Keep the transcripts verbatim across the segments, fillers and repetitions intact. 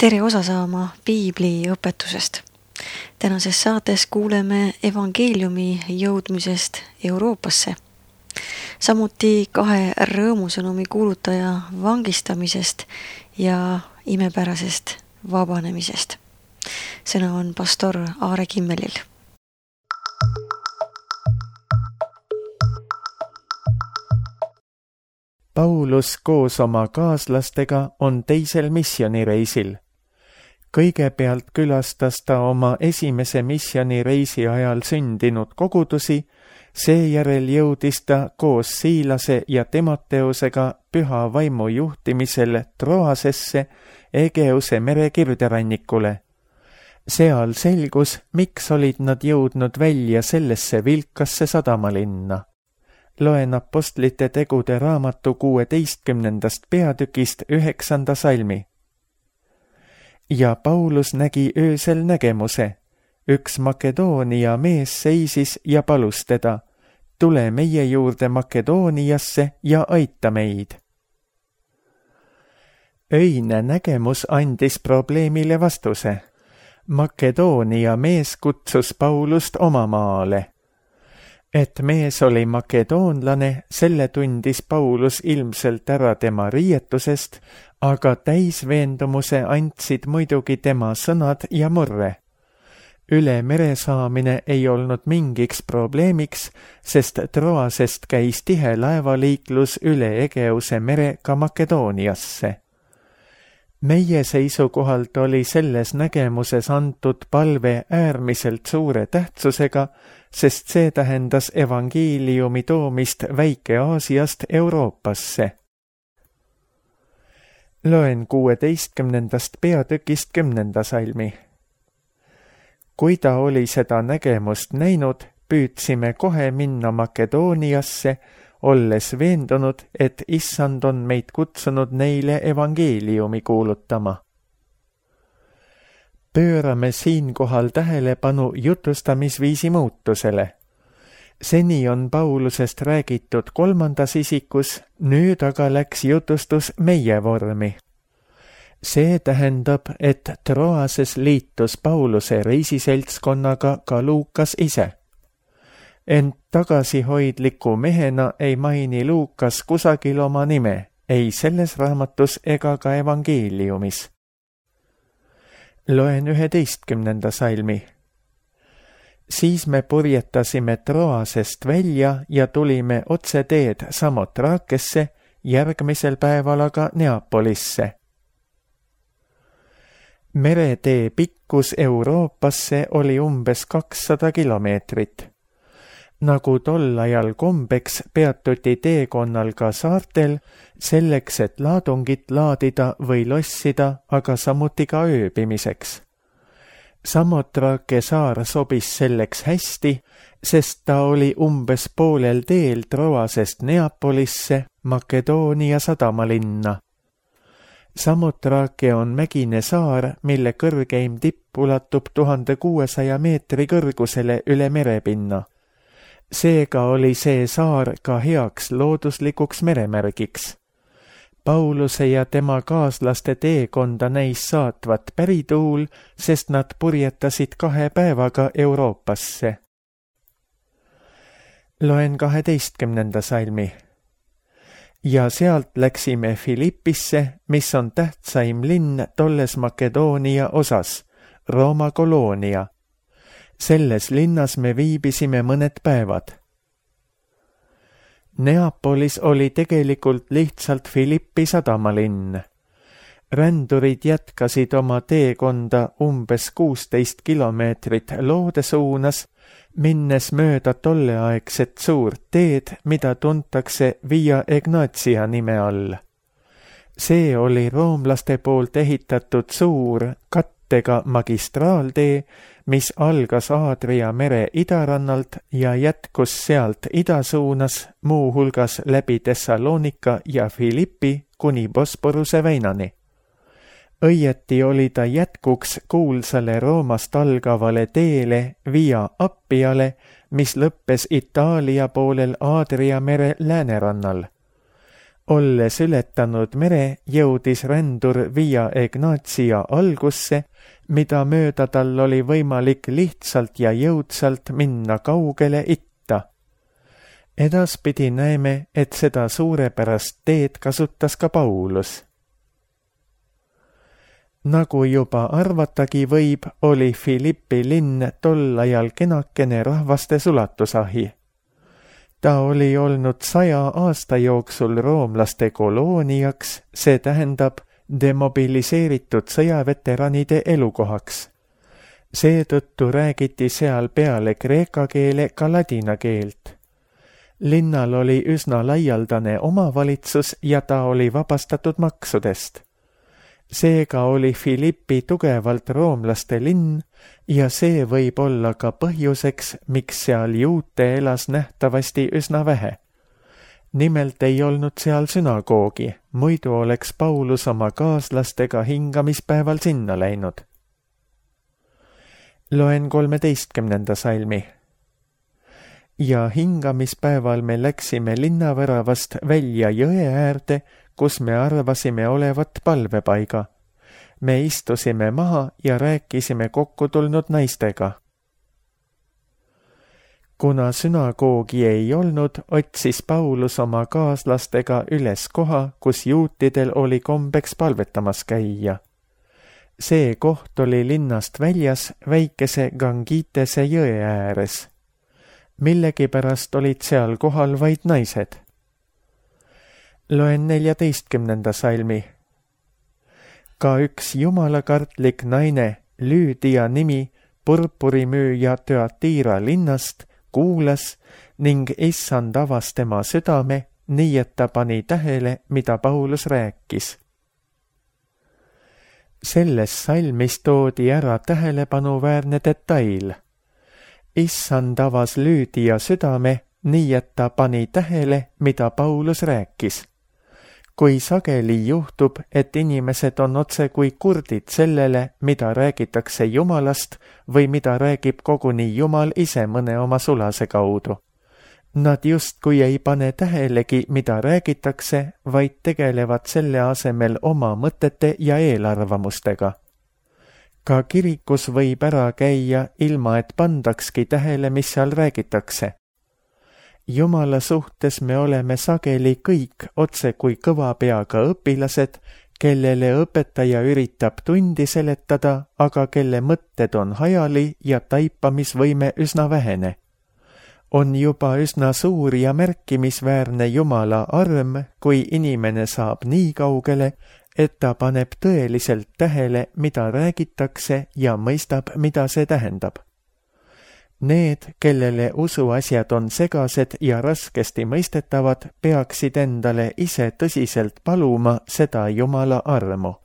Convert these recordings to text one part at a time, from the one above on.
Tere osa saama piibli õpetusest. Tänases saates kuuleme evangeeliumi jõudmisest Euroopasse. Samuti kahe rõõmusõnumi kuulutaja vangistamisest ja imepärasest vabanemisest. Sõna on pastor Aare Kimmelil. Paulus koos oma kaaslastega on teisel missionireisil. Kõigepealt külastas ta oma esimese missionireisi ajal sündinud kogudusi, seejärel jõudis ta koos Siilase ja Timoteusega püha vaimu juhtimisel Troasesse, Egeuse mere kirderannikule. Seal selgus, miks olid nad jõudnud välja sellesse vilkasse sadamalinna. Loen apostlite tegude raamatu kuueteistkümnendast peatükist üheksanda salmi. Ja Paulus nägi öösel nägemuse. Üks Makedoonia mees seisis ja palus teda, tule meie juurde Makedooniasse ja aita meid. Öine nägemus andis probleemile vastuse. Makedoonia mees kutsus Paulust oma maale. Et mees oli makedoonlane, selle tundis Paulus ilmselt ära tema riietusest, aga täisveendumuse andsid muidugi tema sõnad ja murre. Üle mere saamine ei olnud mingiks probleemiks, sest Troasest käis tihe laevaliiklus üle Egeuse mere ka Makedooniasse. Meie seisukohalt oli selles nägemuses antud palve äärmiselt suure tähtsusega, sest see tähendas evangeeliumi toomist Väike-Aasiast Euroopasse. Loen kuueteistkümnendast peatükist kümnenda salmi. Kui ta oli seda nägemust näinud, püüdsime kohe minna Makedooniasse, olles veendunud, et issand on meid kutsunud neile evangeeliumi kuulutama. Pöörame siinkohal tähelepanu jutustamisviisi muutusele. Seni on Paulusest räägitud kolmandas isikus, nüüd aga läks jutustus meie vormi. See tähendab, et Troases liitus Pauluse reisiseltskonnaga ka Luukas ise. Ent tagasihoidliku mehena ei maini Luukas kusagil oma nime, ei selles raamatus ega ka evangeeliumis. Loen üheteistkümnenda salmi. Siis me purjetasime Troasest välja ja tulime otse teed Samotrakesse, järgmisel päeval aga Neapolisse. Meretee pikkus Euroopasse oli umbes kakssada kilomeetrit. Nagu tol ajal kombeks peatuti teekonnal ka saartel, selleks, et laadungit laadida või lossida, aga samuti ka ööbimiseks. Samotrake saar sobis selleks hästi, sest ta oli umbes poolel teel Troasest Neapolisse, Makedoonia sadamalinna. Samotrake on mägine saar, mille kõrgeim tipp ulatub tuhande kuuesaja meetri kõrgusele üle merepinna. Seega oli see saar ka heaks looduslikuks meremärgiks. Pauluse ja tema kaaslaste teekonda näis saatvat pärituul, sest nad purjetasid kahe päevaga Euroopasse. Loen kaheteistkümnenda salmi. Ja sealt läksime Filippisse, mis on tähtsaim linn tolles Makedoonia osas, Rooma koloonia. Selles linnas me viibisime mõned päevad. Neapolis oli tegelikult lihtsalt Filippi sadamalinn. Rändurid jätkasid oma teekonda umbes kuusteist kilomeetrit loode suunas, minnes mööda tolleaegset suurt teed, mida tuntakse Via Egnatia nime all. See oli roomlaste poolt ehitatud suur kattega magistraaltee, mis algas Aadria mere idarannalt ja jätkus sealt ida suunas, muu hulgas läbi Thessalonika ja Filippi kuni Bosporuse väinani. Õieti oli ta jätkuks kuulsale Roomast algavale teele Via Appiale, mis lõppes Itaalia poolel Aadria mere läänerannal. Olles ületanud mere, jõudis rändur Via Egnatia algusse, mida mööda tal oli võimalik lihtsalt ja jõudsalt minna kaugele itta. Edaspidi näeme, et seda suurepärast teed kasutas ka Paulus. Nagu juba arvatagi võib, oli Philippi linn tol ajal kenakene rahvaste sulatusahi. Ta oli olnud saja aasta jooksul roomlaste kolooniaks, see tähendab demobiliseeritud sõjaveteranide elukohaks. Seetõttu räägiti seal peale kreeka keele ka ladina keelt. Linnal oli üsna laialdane omavalitsus ja ta oli vabastatud maksudest. Seega oli Philippi tugevalt roomlaste linn ja see võib olla ka põhjuseks, miks seal juute elas nähtavasti üsna vähe. Nimelt ei olnud seal sünagoogi, muidu oleks Paulus oma kaaslastega hingamispäeval sinna läinud. Loen kolmeteistkümnenda salmi. Ja hingamispäeval me läksime linnaväravast välja jõe äärde, kus me arvasime olevat palvepaiga. Me istusime maha ja rääkisime kokku tulnud naistega. Kuna sünagoogi ei olnud, otsis Paulus oma kaaslastega üles koha, kus juutidel oli kombeks palvetamas käia. See koht oli linnast väljas väikese Gangitese jõe ääres. Millegipärast olid seal kohal vaid naised. Loen neljateistkümnenda salmi. Ka üks jumalakartlik naine, Lüüdia nimi, purpurimüüja Thyatira linnast, kuulas ning issand avas tema südame, nii et ta pani tähele, mida Paulus rääkis. Selles salmis toodi ära tähelepanuväärne detail. Issand avas Lüüdia südame, nii et ta pani tähele, mida Paulus rääkis. Kui sageli juhtub, et inimesed on otse kui kurdid sellele, mida räägitakse Jumalast või mida räägib koguni Jumal ise mõne oma sulase kaudu. Nad justkui ei pane tähelegi, mida räägitakse, vaid tegelevad selle asemel oma mõtete ja eelarvamustega. Ka kirikus võib ära käia, ilma et pandakski tähele, mis seal räägitakse. Jumala suhtes me oleme sageli kõik otse kui kõva peaga õpilased, kellele õpetaja üritab tundi seletada, aga kelle mõtted on hajali ja taipamisvõime üsna vähene. On juba üsna suur ja märkimisväärne Jumala arm, kui inimene saab nii kaugele, et ta paneb tõeliselt tähele, mida räägitakse ja mõistab, mida see tähendab. Need, kellele usuasjad on segased ja raskesti mõistetavad, peaksid endale ise tõsiselt paluma seda Jumala armu.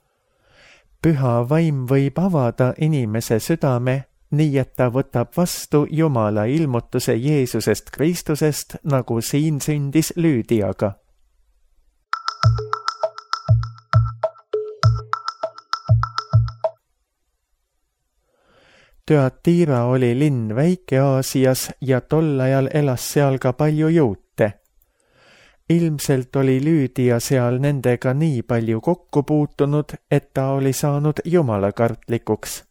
Püha vaim võib avada inimese südame, nii et ta võtab vastu Jumala ilmutuse Jeesusest Kristusest, nagu siin sündis Lüüdiaga. Thyatira oli linn Väike-Aasias ja tol ajal elas seal ka palju juute. Ilmselt oli Lüüdia seal nendega nii palju kokku puutunud, et ta oli saanud jumalakartlikuks.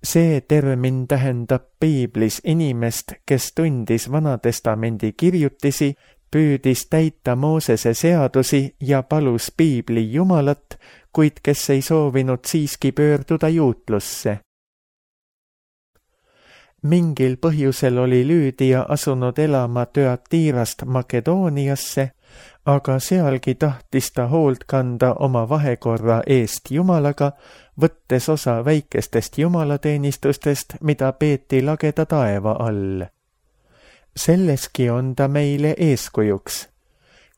See termin tähendab piiblis inimest, kes tundis Vanatestamendi kirjutisi, püüdis täita Moosese seadusi ja palus piibli Jumalat, kuid kes ei soovinud siiski pöörduda juutlusse. Mingil põhjusel oli Lüüdia asunud elama Thyatirast Makedooniasse, aga sealgi tahtis ta hoolt kanda oma vahekorra eest Jumalaga, võttes osa väikestest jumalateenistustest, mida peeti lageda taeva all. Selleski on ta meile eeskujuks.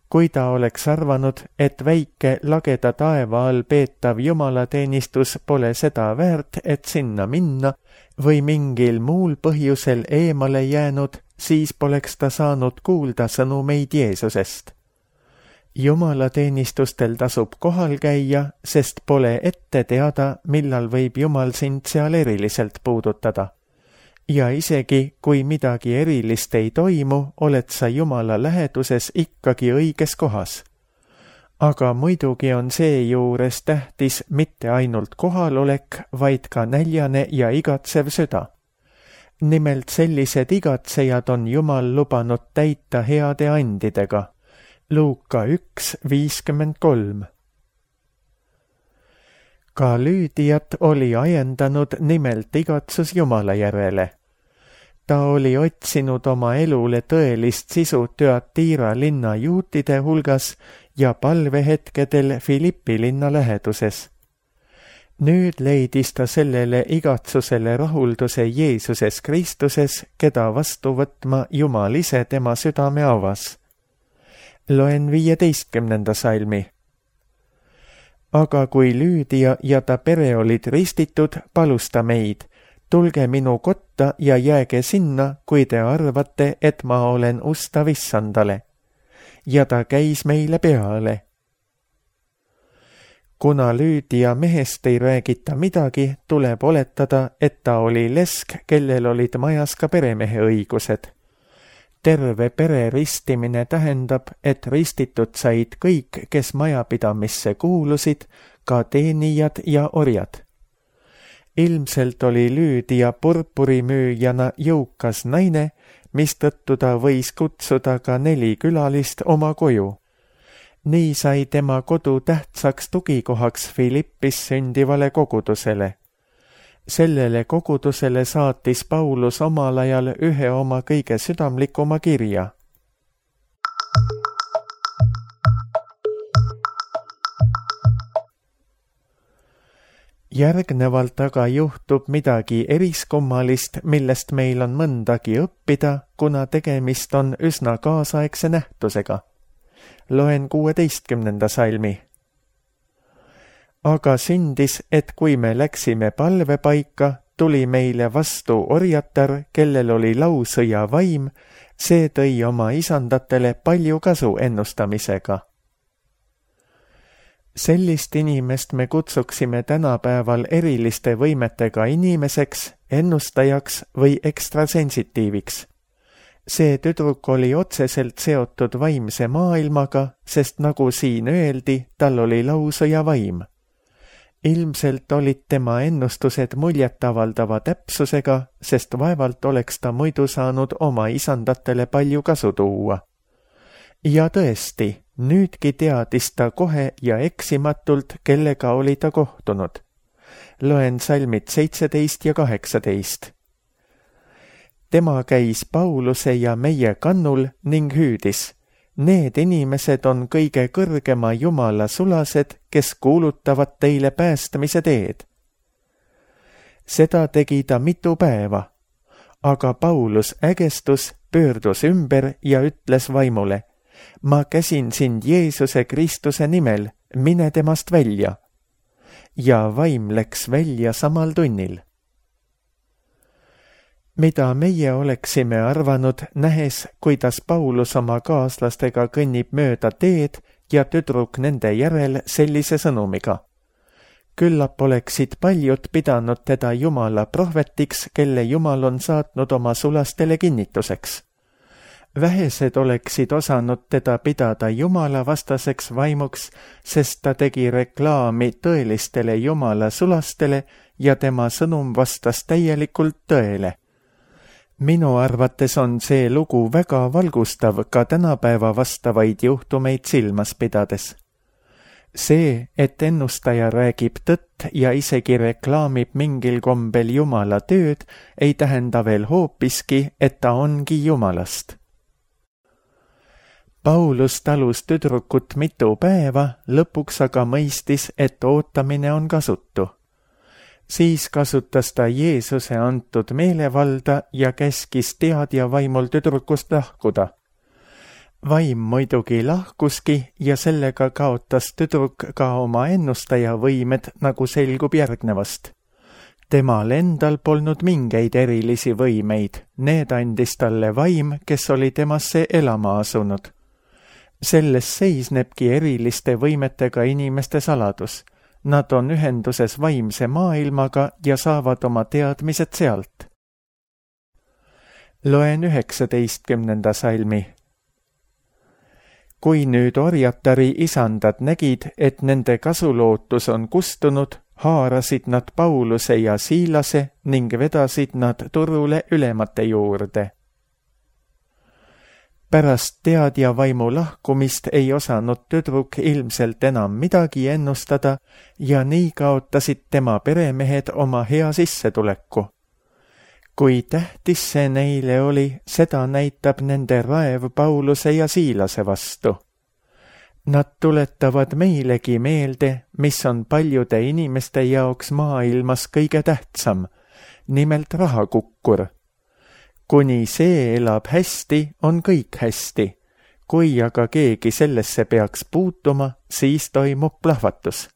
Kui ta oleks arvanud, et väike lageda taeva all peetav jumalateenistus pole seda väärt, et sinna minna, või mingil muul põhjusel eemale jäänud, siis poleks ta saanud kuulda sõnumeid Jeesusest. Jumalateenistustel tasub kohal käia, sest pole ette teada, millal võib Jumal sind seal eriliselt puudutada. Ja isegi, kui midagi erilist ei toimu, oled sa Jumala läheduses ikkagi õiges kohas. aga muidugi on seejuures tähtis mitte ainult kohalolek, vaid ka näljane ja igatsev süda. Nimelt sellised igatsejad on Jumal lubanud täita heade andidega. Luuka üks viiskümmend kolm. Ka Lüüdiat oli ajendanud nimelt igatsus Jumala järele. Ta oli otsinud oma elule tõelist sisu Thyatira linna juutide hulgas ja palvehetkedel Filippi linna läheduses. Nüüd leidis ta sellele igatsusele rahulduse Jeesuses Kristuses, keda vastu võtma Jumal ise tema südame avas. Loen viieteistkümnenda salmi. Aga kui Lüüdia ja ta pere olid ristitud, palus ta meid, tulge minu kotta ja jääge sinna, kui te arvate, et ma olen ustav issandale. Ja ta käis meile peale. Kuna Lüüdia mehest ei räägita midagi, tuleb oletada, et ta oli lesk, kellel olid majas ka peremehe õigused. Terve pere ristimine tähendab, et ristitud said kõik, kes majapidamisse kuulusid, ka teenijad ja orjad. Ilmselt oli Lüüdia purpurimüüjana jõukas naine, mistõttu ta võis kutsuda ka neli külalist oma koju. Nii sai tema kodu tähtsaks tugikohaks Filippis sündivale kogudusele. Sellele kogudusele saatis Paulus omal ajal ühe oma kõige südamlikuma kirja. Järgnevalt aga juhtub midagi eriskummalist, millest meil on mõndagi õppida, kuna tegemist on üsna kaasaegse nähtusega. Loen kuueteistkümnenda salmi. Aga sündis, et kui me läksime palvepaika, tuli meile vastu orjatar, kellel oli lausõja vaim, see tõi oma isandatele palju kasu ennustamisega. Sellist inimest me kutsuksime tänapäeval eriliste võimetega inimeseks, ennustajaks või ekstrasensitiiviks. See tüdruk oli otseselt seotud vaimse maailmaga, sest nagu siin öeldi, tal oli lausõja vaim. Ilmselt olid tema ennustused muljetavaldava täpsusega, sest vaevalt oleks ta muidu saanud oma isandatele palju kasu tuua. Ja tõesti, nüüdki teadis ta kohe ja eksimatult, kellega oli ta kohtunud. Loen salmid seitseteist ja kaheksateist. Tema käis Pauluse ja meie kannul ning hüüdis. Need inimesed on kõige kõrgema Jumala sulased, kes kuulutavad teile päästmise teed. Seda tegi ta mitu päeva, aga Paulus ägestus, pöördus ümber ja ütles vaimule, ma käsin sind Jeesuse Kristuse nimel, mine temast välja. Ja vaim läks välja samal tunnil. Mida meie oleksime arvanud, nähes, kuidas Paulus oma kaaslastega kõnnib mööda teed ja tüdruk nende järel sellise sõnumiga. Küllap oleksid paljud pidanud teda Jumala prohvetiks, kelle Jumal on saatnud oma sulastele kinnituseks. Vähesed oleksid osanud teda pidada Jumala vastaseks vaimuks, sest ta tegi reklaami tõelistele Jumala sulastele ja tema sõnum vastas täielikult tõele. Minu arvates on see lugu väga valgustav ka tänapäeva vastavaid juhtumeid silmas pidades. See, et ennustaja räägib tõtt ja isegi reklaamib mingil kombel Jumala tööd, ei tähenda veel hoopiski, et ta ongi Jumalast. Paulus talus tüdrukut mitu päeva, lõpuks aga mõistis, et ootamine on kasutu. Siis kasutas ta Jeesuse antud meelevalda ja käskis teadja vaimul tüdrukust lahkuda. Vaim muidugi lahkuski ja sellega kaotas tüdruk ka oma ennustaja võimed, nagu selgub järgnevast. Temal endal polnud mingeid erilisi võimeid, need andis talle vaim, kes oli temasse elama asunud. Selles seisnebki eriliste võimetega inimeste saladus. Nad on ühenduses vaimse maailmaga ja saavad oma teadmised sealt. Loen üheksateistkümnenda salmi. kui nüüd orjatari isandad nägid, et nende kasulootus on kustunud, haarasid nad Pauluse ja Siilase ning vedasid nad turule ülemate juurde. Pärast teadja vaimu lahkumist ei osanud tüdruk ilmselt enam midagi ennustada ja nii kaotasid tema peremehed oma hea sissetuleku. Kui tähtis see neile oli, seda näitab nende raev Pauluse ja Siilase vastu. Nad tuletavad meilegi meelde, mis on paljude inimeste jaoks maailmas kõige tähtsam, nimelt rahakukkur. Kuni see elab hästi, on kõik hästi. Kui aga keegi sellesse peaks puutuma, siis toimub plahvatus.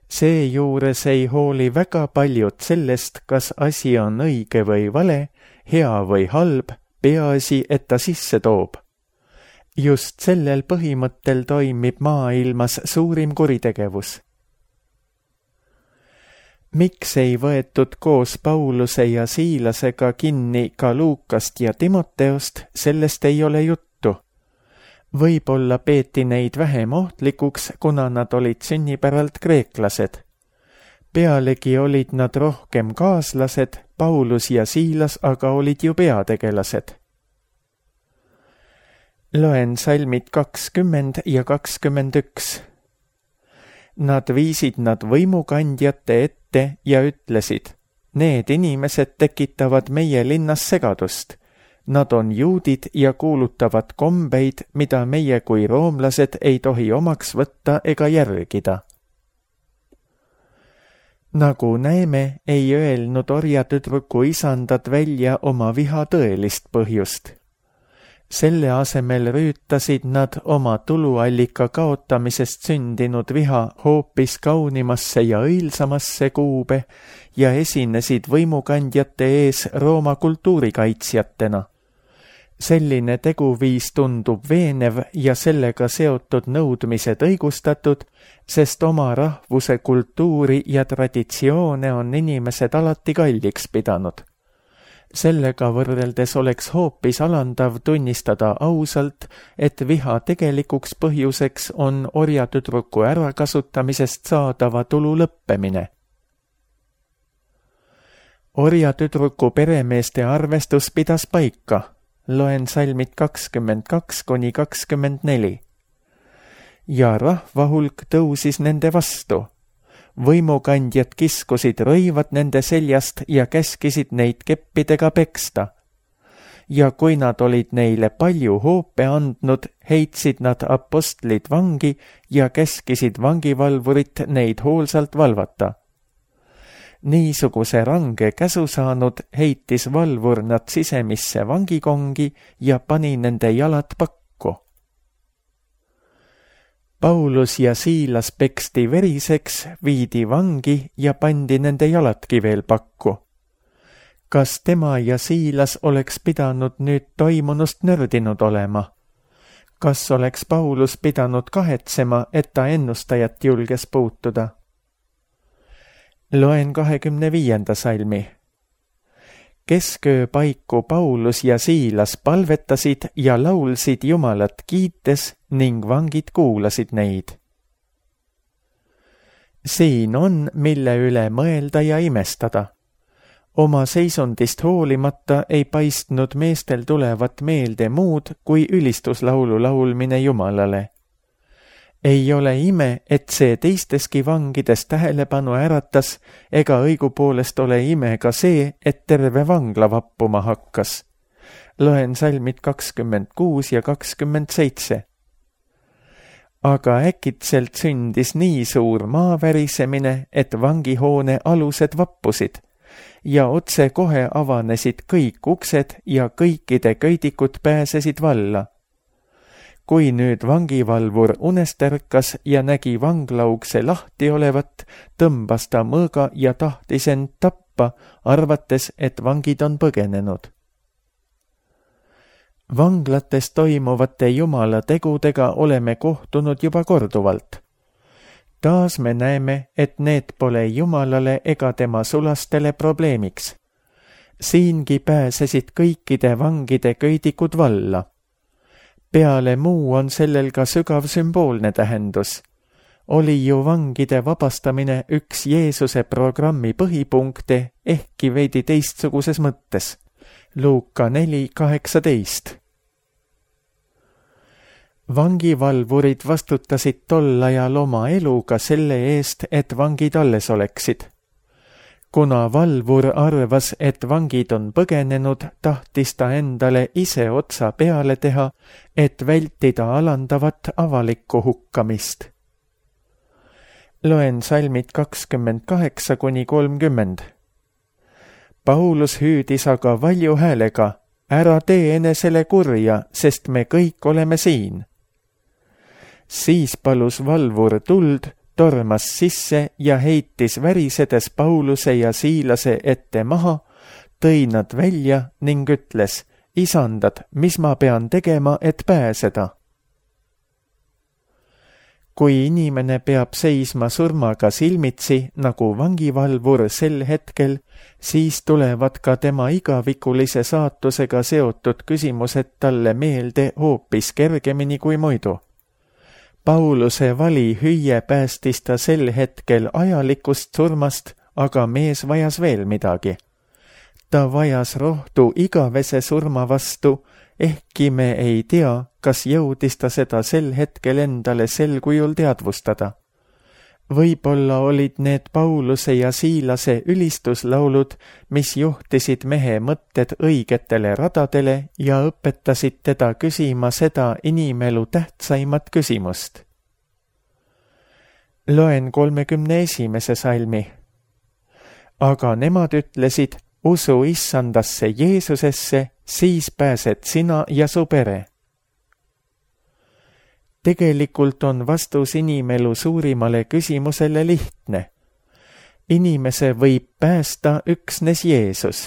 Seejuures ei hooli väga paljud sellest, kas asi on õige või vale, hea või halb, peaasi, et ta sisse toob. Just sellel põhimõttel toimib maailmas suurim kuritegevus. Miks ei võetud koos Pauluse ja Siilasega kinni ka Luukast ja Timoteost, sellest ei ole juttu. Võib-olla peeti neid vähem ohtlikuks, kuna nad olid sünnipäralt kreeklased. Pealegi olid nad rohkem kaaslased, Paulus ja Siilas aga olid ju peategelased. Loen salmid kakskümmend ja kakskümmend üks. Nad viisid nad võimukandjate ette ja ütlesid, need inimesed tekitavad meie linnas segadust. Nad on juudid ja kuulutavad kombeid, mida meie kui roomlased ei tohi omaks võtta ega järgida. Nagu näeme, ei öelnud orjatüdruku isandad välja oma viha tõelist põhjust. Selle asemel rüütasid nad oma tuluallika kaotamisest sündinud viha hoopis kaunimasse ja õilsamasse kuube ja esinesid võimukandjate ees Rooma kultuurikaitsjatena. Selline teguviis tundub veenev ja sellega seotud nõudmised õigustatud, sest oma rahvuse kultuuri ja traditsioone on inimesed alati kalliks pidanud. Sellega võrreldes oleks hoopis alandav tunnistada ausalt, et viha tegelikuks põhjuseks on orjatüdruku ärakasutamisest saadava tulu lõppemine. Orjatüdruku peremeeste arvestus pidas paika. Loen salmid kakskümmend kaks kuni kakskümmend neli. Ja rahva hulk tõusis nende vastu. Võimukandjad kiskusid rõivad nende seljast ja käskisid neid keppidega peksta. Ja kui nad olid neile palju hoope andnud, heitsid nad apostlid vangi ja käskisid vangivalvurit neid hoolsalt valvata. Niisuguse range käsu saanud heitis valvur nad sisemisse vangikongi ja pani nende jalad pakku. Paulus ja Siilas peksti veriseks, viidi vangi ja pandi nende jaladki veel pakku. Kas tema ja Siilas oleks pidanud nüüd toimunust nördinud olema? Kas oleks Paulus pidanud kahetsema, et ta ennustajat julges puutuda? Loen kahekümne viienda salmi. Kesköö paiku Paulus ja Siilas palvetasid ja laulsid Jumalat kiites ning vangid kuulasid neid. Siin on, mille üle mõelda ja imestada. Oma seisundist hoolimata ei paistnud meestel tulevat meelde muud kui ülistuslaulu laulmine Jumalale. Ei ole ime, et see teisteski vangides tähelepanu äratas, ega õigupoolest ole ime ka see, et terve vangla vappuma hakkas. Loen salmid kakskümmend kuus ja kakskümmend seitse. Aga äkitselt sündis nii suur maavärisemine, et vangihoone alused vappusid ja otse kohe avanesid kõik uksed ja kõikide köidikud pääsesid valla. Kui nüüd vangivalvur unest ärkas ja nägi vanglaukse lahti olevat, tõmbas ta mõõga ja tahtis end tappa, arvates, et vangid on põgenenud. Vanglates toimuvate Jumala tegudega oleme kohtunud juba korduvalt. Taas me näeme, et need pole Jumalale ega tema sulastele probleemiks. Siingi pääsesid kõikide vangide köidikud valla. peale muu on sellel ka sügav sümboolne tähendus. Oli ju vangide vabastamine üks Jeesuse programmi põhipunkte, ehkki veidi teistsuguses mõttes. Luuka neli kaheksateist. Vangivalvurid vastutasid tol ajal oma eluga selle eest, et vangid alles oleksid. Kuna valvur arvas, et vangid on põgenenud, tahtis ta endale ise otsa peale teha, et vältida alandavat avalikku hukkamist. Loen salmid kakskümmend kaheksa kuni kolmkümmend. Paulus hüüdis aga valju häälega, ära tee enesele kurja, sest me kõik oleme siin. Siis palus valvur tuld, tormas sisse ja heitis värisedes Pauluse ja Siilase ette maha, tõi nad välja ning ütles, isandad, mis ma pean tegema, et pääseda? Kui inimene peab seisma surmaga silmitsi, nagu vangivalvur sel hetkel, siis tulevad ka tema igavikulise saatusega seotud küsimused talle meelde hoopis kergemini kui muidu. Pauluse vali hüüe päästis ta sel hetkel ajalikust surmast, aga mees vajas veel midagi. Ta vajas rohtu igavese surma vastu, ehkki me ei tea, kas jõudis ta seda sel hetkel endale sel kujul teadvustada. Võib-olla olid need Pauluse ja Siilase ülistuslaulud, mis juhtisid mehe mõtted õigetele radadele ja õpetasid teda küsima seda inimelu tähtsaimat küsimust. Loen kolmekümne esimese salmi. Aga nemad ütlesid, usu issandasse Jeesusesse, siis pääsed sina ja su pere. Tegelikult on vastus inimelu suurimale küsimusele lihtne. Inimese võib päästa üksnes Jeesus.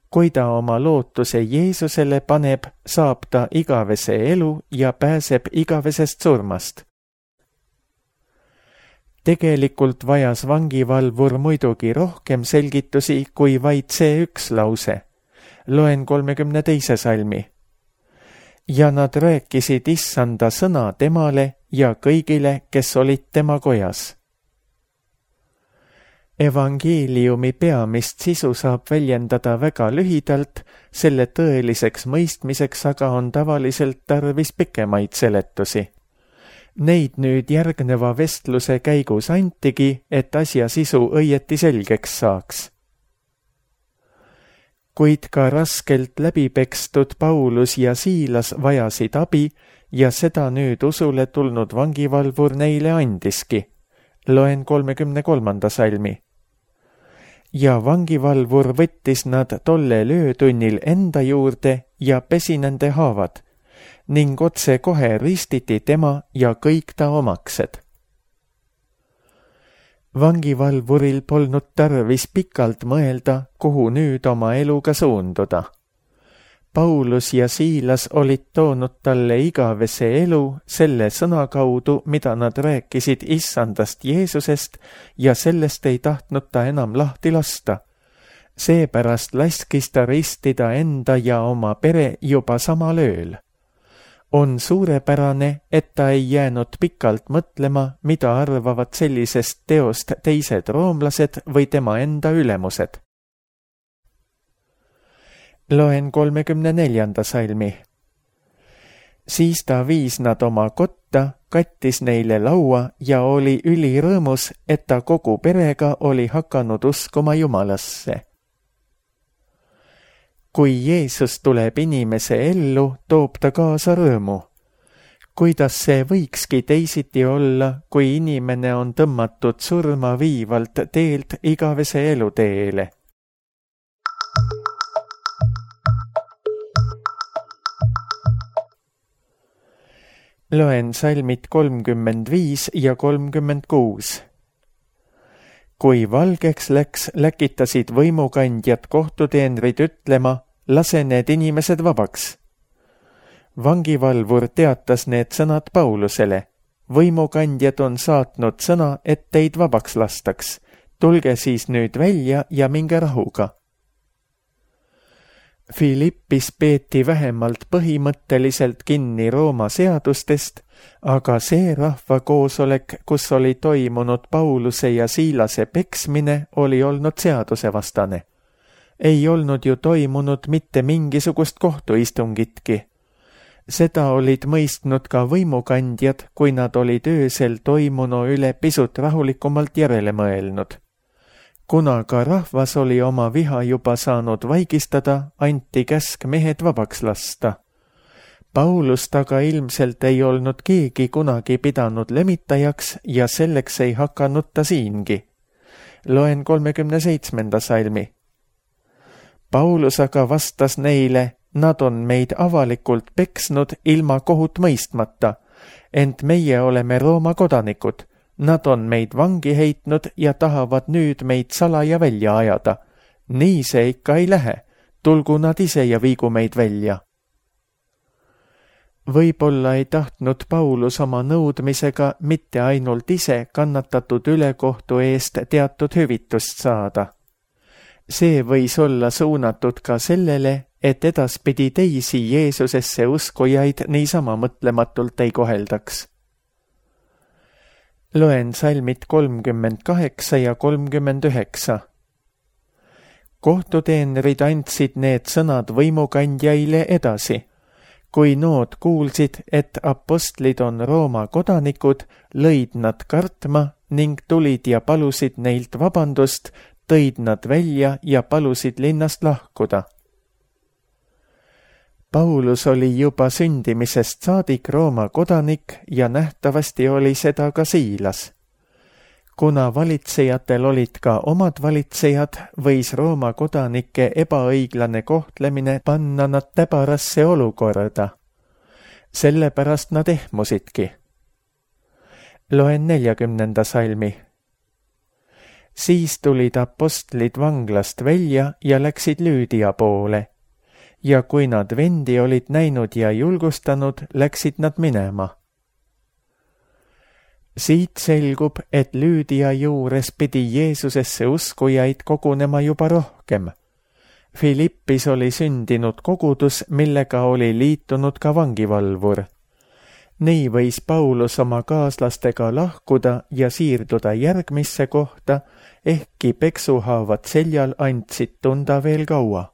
Kui ta oma lootuse Jeesusele paneb, saab ta igavese elu ja pääseb igavesest surmast. Tegelikult vajas vangivalvur muidugi rohkem selgitusi kui vaid see üks lause. Loen kolmekümne teise salmi. Ja nad rääkisid issanda sõna temale ja kõigile, kes olid tema kojas. Evangeeliumi peamist sisu saab väljendada väga lühidalt, selle tõeliseks mõistmiseks aga on tavaliselt tarvis pikemaid seletusi. Neid nüüd järgneva vestluse käigus antigi, et asja sisu õieti selgeks saaks. Kuid ka raskelt läbipekstud Paulus ja Siilas vajasid abi ja seda nüüd usule tulnud vangivalvur neile andiski. Loen kolmekümne kolmanda salmi. Ja vangivalvur võttis nad tollel öötunnil enda juurde ja pesi nende haavad, ning otse kohe ristiti tema ja kõik ta omaksed. Vangivalvuril polnud tarvis pikalt mõelda, kuhu nüüd oma eluga suunduda. Paulus ja Siilas olid toonud talle igavese elu selle sõna kaudu, mida nad rääkisid issandast Jeesusest ja sellest ei tahtnud ta enam lahti lasta. Seepärast laskis ta ristida enda ja oma pere juba samal ööl. On suurepärane, et ta ei jäänud pikalt mõtlema, mida arvavad sellisest teost teised roomlased või tema enda ülemused. Loen kolmekümne neljanda salmi. Siis ta viis nad oma kotta, kattis neile laua ja oli ülirõõmus, et ta kogu perega oli hakanud uskuma Jumalasse. Kui Jeesus tuleb inimese ellu, toob ta kaasa rõõmu. Kuidas see võikski teisiti olla, kui inimene on tõmmatud surma viivalt teelt igavese eluteele? Loen salmid kolmkümmend viis ja kolmkümmend kuus. Kui valgeks läks, läkitasid võimukandjad kohtuteenrid ütlema, lase need inimesed vabaks. Vangivalvur teatas need sõnad Paulusele. Võimukandjad on saatnud sõna, et teid vabaks lastaks. Tulge siis nüüd välja ja minge rahuga. Philippis peeti vähemalt põhimõtteliselt kinni Rooma seadustest, aga see rahvakoosolek, kus oli toimunud Pauluse ja Siilase peksmine, oli olnud seadusevastane. Ei olnud ju toimunud mitte mingisugust kohtuistungitki. Seda olid mõistnud ka võimukandjad, kui nad olid öösel toimunu üle pisut rahulikumalt järele mõelnud. Kuna ka rahvas oli oma viha juba saanud vaigistada, anti käsk mehed vabaks lasta. Paulust aga ilmselt ei olnud keegi kunagi pidanud lemitajaks ja selleks ei hakanud ta siingi. Loen kolmekümne seitsmenda salmi. Paulus aga vastas neile, nad on meid avalikult peksnud ilma kohut mõistmata, ent meie oleme Rooma kodanikud. Nad on meid vangi heitnud ja tahavad nüüd meid salaja välja ajada. Nii see ikka ei lähe. Tulgu nad ise ja viigu meid välja. Võib-olla ei tahtnud Paulus oma nõudmisega mitte ainult ise kannatatud ülekohtu eest teatud hüvitust saada. See võis olla suunatud ka sellele, et edaspidi teisi Jeesusesse uskujaid niisama mõtlematult ei koheldaks. Loen salmid kolmkümmend kaheksa ja kolmkümmend üheksa. Kohtuteenrid andsid need sõnad võimukandjaile edasi. Kui nood kuulsid, et apostlid on Rooma kodanikud, lõid nad kartma ning tulid ja palusid neilt vabandust, tõid nad välja ja palusid linnast lahkuda. Paulus oli juba sündimisest saadik Rooma kodanik ja nähtavasti oli seda ka Siilas. Kuna valitsejatel olid ka omad valitsejad, võis Rooma kodanike ebaõiglane kohtlemine panna nad täbarasse olukorda. Sellepärast nad ehmusidki. Loen neljakümnenda salmi. Siis tulid apostlid vanglast välja ja läksid Lüüdia poole. Ja kui nad vendi olid näinud ja julgustanud, läksid nad minema. Siit selgub, et Lüüdia juures pidi Jeesusesse uskujaid kogunema juba rohkem. Philippis oli sündinud kogudus, millega oli liitunud ka vangivalvur. Nii võis Paulus oma kaaslastega lahkuda ja siirduda järgmisse kohta, ehkki peksuhaavad seljal andsid tunda veel kaua.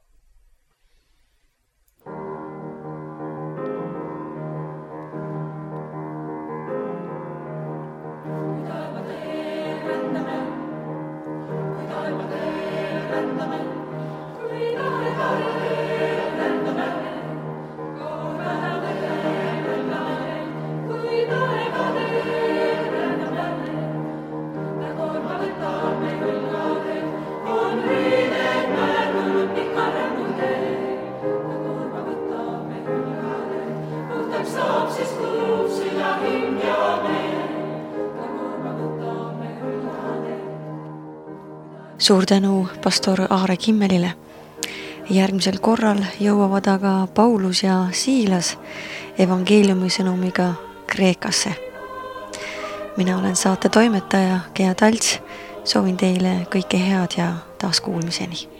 Suur tänu pastor Aare Kimmelile. Järgmisel korral jõuavad aga Paulus ja Siilas evangeeliumi sõnumiga Kreekasse. Mina olen saate toimetaja Gea Talts. Soovin teile kõike head ja taas kuulmiseni.